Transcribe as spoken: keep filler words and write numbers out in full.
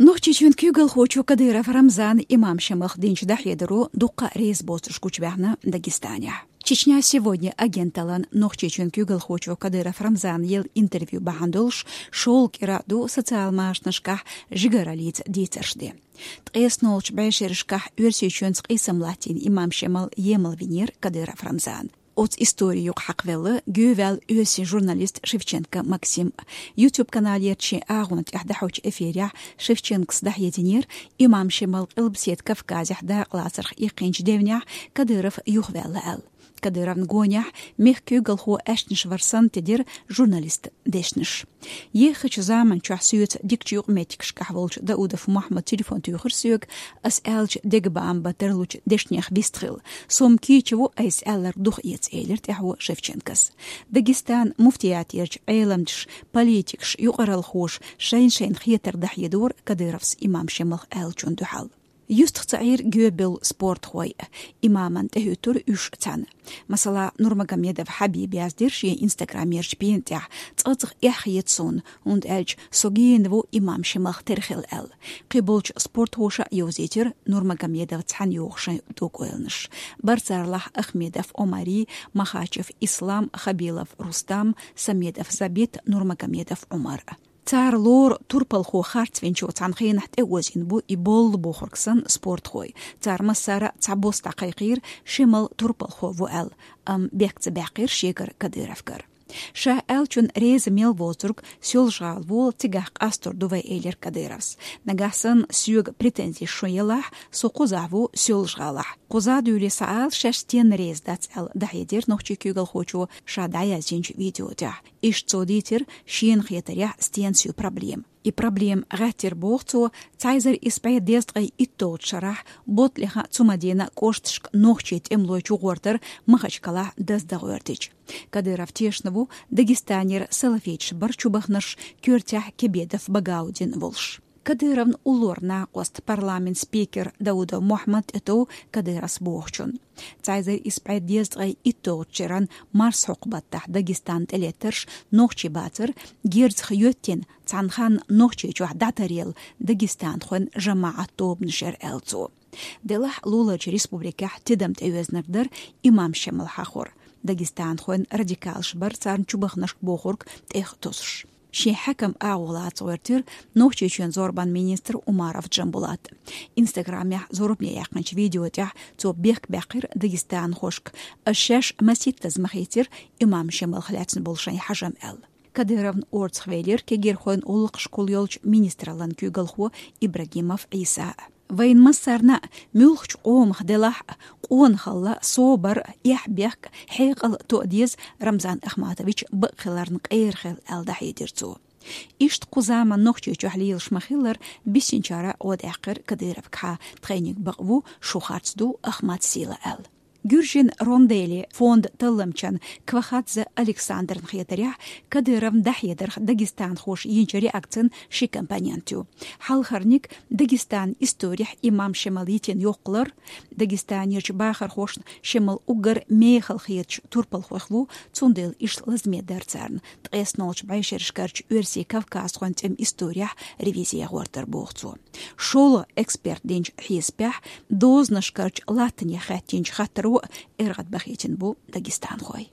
Нохчийчоьнан куьйгалхочо Кадыров Рамзана имам Шемалах динчу дӀахьедаро дуккха а реза боцурш гучубаьхна Дагестанехь. «Чечня сегодня» агенталлан Нохчийчоьнан куьйгалхочо Кадыров Рамзана елла интервью бахьана долуш шолгӀа кӀира ду социал машанашкахь жигараллица дийцарш де. Ткъеснолчу бӀешерашкахь Оьрсийчоьнца къийсам латтийна имам Шемал емал винера Кадыров Рамзана. Оцу истори юкъа хьакхавелла гоьваьлла оьрсийн журналист Шевченко Максим. YouTube-каналера шен агӀонна тӀехь дӀахьочу эфирехь Шевченкос дӀахьединера, имам Шемал Къилбаседа Кавказехь дакъалацарх иккхинчу девнехь Кадыров юхаваьлла аьлла. Кадыровн гонехь мехкан куьйгалхо аьшнаш вар санна тидира журналистан дешнаш. Еххачу заманчохь соьца дикачу юкъаметтигашкахь волчу Даудов Мохьмада телефон туьйхира соьга, ас аьллачу дегабаам бан тарлучу дешнех вистхилла. Со-м кийча ву, айса аьлларг дукха эца, элира тӀаьхьо Шевченкос. Дагестанан муфтиятерчу Ӏеламчаш, политикаш, юкъаралхоша шайна-шайна хетар дӀахьедора Кадыровс имам Шемалах аьллачунна дуьхьал. Юьстах ца Ӏийра гоьбевлла спортхой, имаман тӀехӀуьттура уьш цхьаьна. Масала, Нурмагомедов Хьабиба яздира шен инстаграмерчу пена тӀехь: «Цкъа-цкъа эхь хета суна, хӀунда аьлча со гена ву имам Шемалах тера хила», — аьлла. Кхин болчу спортхоша а йовзийтира Нурмагомедов цхьаьна йоху шайн тӀокӀойланаш. Бара царлахь Ахмедов Омари, Махачев Ислам, Хабилов Рустам, Самедов Забит, Нурмагомедов Ӏумар. Цара лору турпалхо харцвинчу цхьана хенахь тӀеозийна бу и боллу бохург санна спортхой. Цара массара а цхьабосса дӀакхайкхийра, Шемал турпалхо ву аьлла, амма бехк ца баьккхира шегара Кадыровгара. Ша аьллачунна реза мел воцург Соьлжа-ГӀала волу, цигахь къастор ду вай, элира Кадыровс. Нагахь санна соьга претензеш шун елахь, со кхузахь ву Соьлжа-ГӀалахь. Кхуза дуьйлий схьаала, шаьш стенна реза дац аьлла, дӀахьедира нохчийн куьйгалхочо ша дӀаяздинчу видео тӀехь. Иштта цо дийцира шена хетарехь стенна соьга проблема. И проблема гӀаттира, боху цо, цхьа эзар исс бӀе дезткъе итталгӀачу шарахь Ботлихин, Цумадинан кӀошташка нохчийн тӀемалой чугӀортар Махачкалахь даздан гӀоьртича. Кадыров тешна ву Дагестанера салафиташ бар чубахнарш, коьртехь Кебедов Багаудин волуш. Кадыровн уллора накъост парламентан спикер Даудов Мохьмад тӀетов Кадыровс бохучунна. Цхьа эзар исс бӀе дезткъе итталгӀачу шеран марсхьокху баттахь Дагестан тӀелеттарш нохчий бацара, герзах йоьттина, цхьана ханна Нохчийчохь дӀатаръелла дагестанхойн жамаӀат тобанаш яра, аьлла цо. Делахь луларчу республикехь тидам тӀеоьзинарг дара имам Шемал хьахор. Дагестанхойн радикалаш бара царна чубахнарш бохург тӀех тосуш. Шен хьаькам агӀо лаца гӀоьртира Нохчийчоьнан зорбанан министр Умаров Джамбулат. Инстаграмехь зорбане яьккхинчу видео тӀехь цо бехк баьккхира дагестанхошка, ас шаьш масийттаза ма хийцира имам Шемалх лаьцна болу шайн хьажам аьлла. Кадыровн орцахвелира кегийрхойн гӀуллакхашкахула йолчу министраллан куьйгалхо Ибрагимов Ӏийса. Вайн массарна а, муьлххачу къомах делахь а, къонахалла, собар, эхь-бехк, хьекъал тоа деза Рамзан Ахматович бакъ хиларна къера хила, аьлла, дӀахьедира цо. Иштта кху заман Нохчийчохь лелаш ма-хиллара, биссинчара гӀо даьккхира Кадыровгахьа, тхайниг бакъ ву, шу харц ду Ахмат сийла аьлла. Гуьржийн «Рондели» фондан талламчан Квахадзе Александран хетарехь, Кадыровн дӀахьедарх дагестанхоша йинчу реакцин ши компонент ю. Хьалхарниг Дагестанан историхь имам Шемал йитина йоккхалар. Дагестанерчу бахархошна Шемал уггар мехала хеташ турпалхойх ву, цундела иштта лазаме дара царна ткъеснолчу бӀешерашкарчу оьрсийн кавказхойн тӀеман историхь ревизи гӀортар, боху цо. ШолгӀа эксперт динчу хьесапехь, дозанашкарчу латтанех хаьттинчу хаттаро а эргӀадбахийтина бу дагестанхой.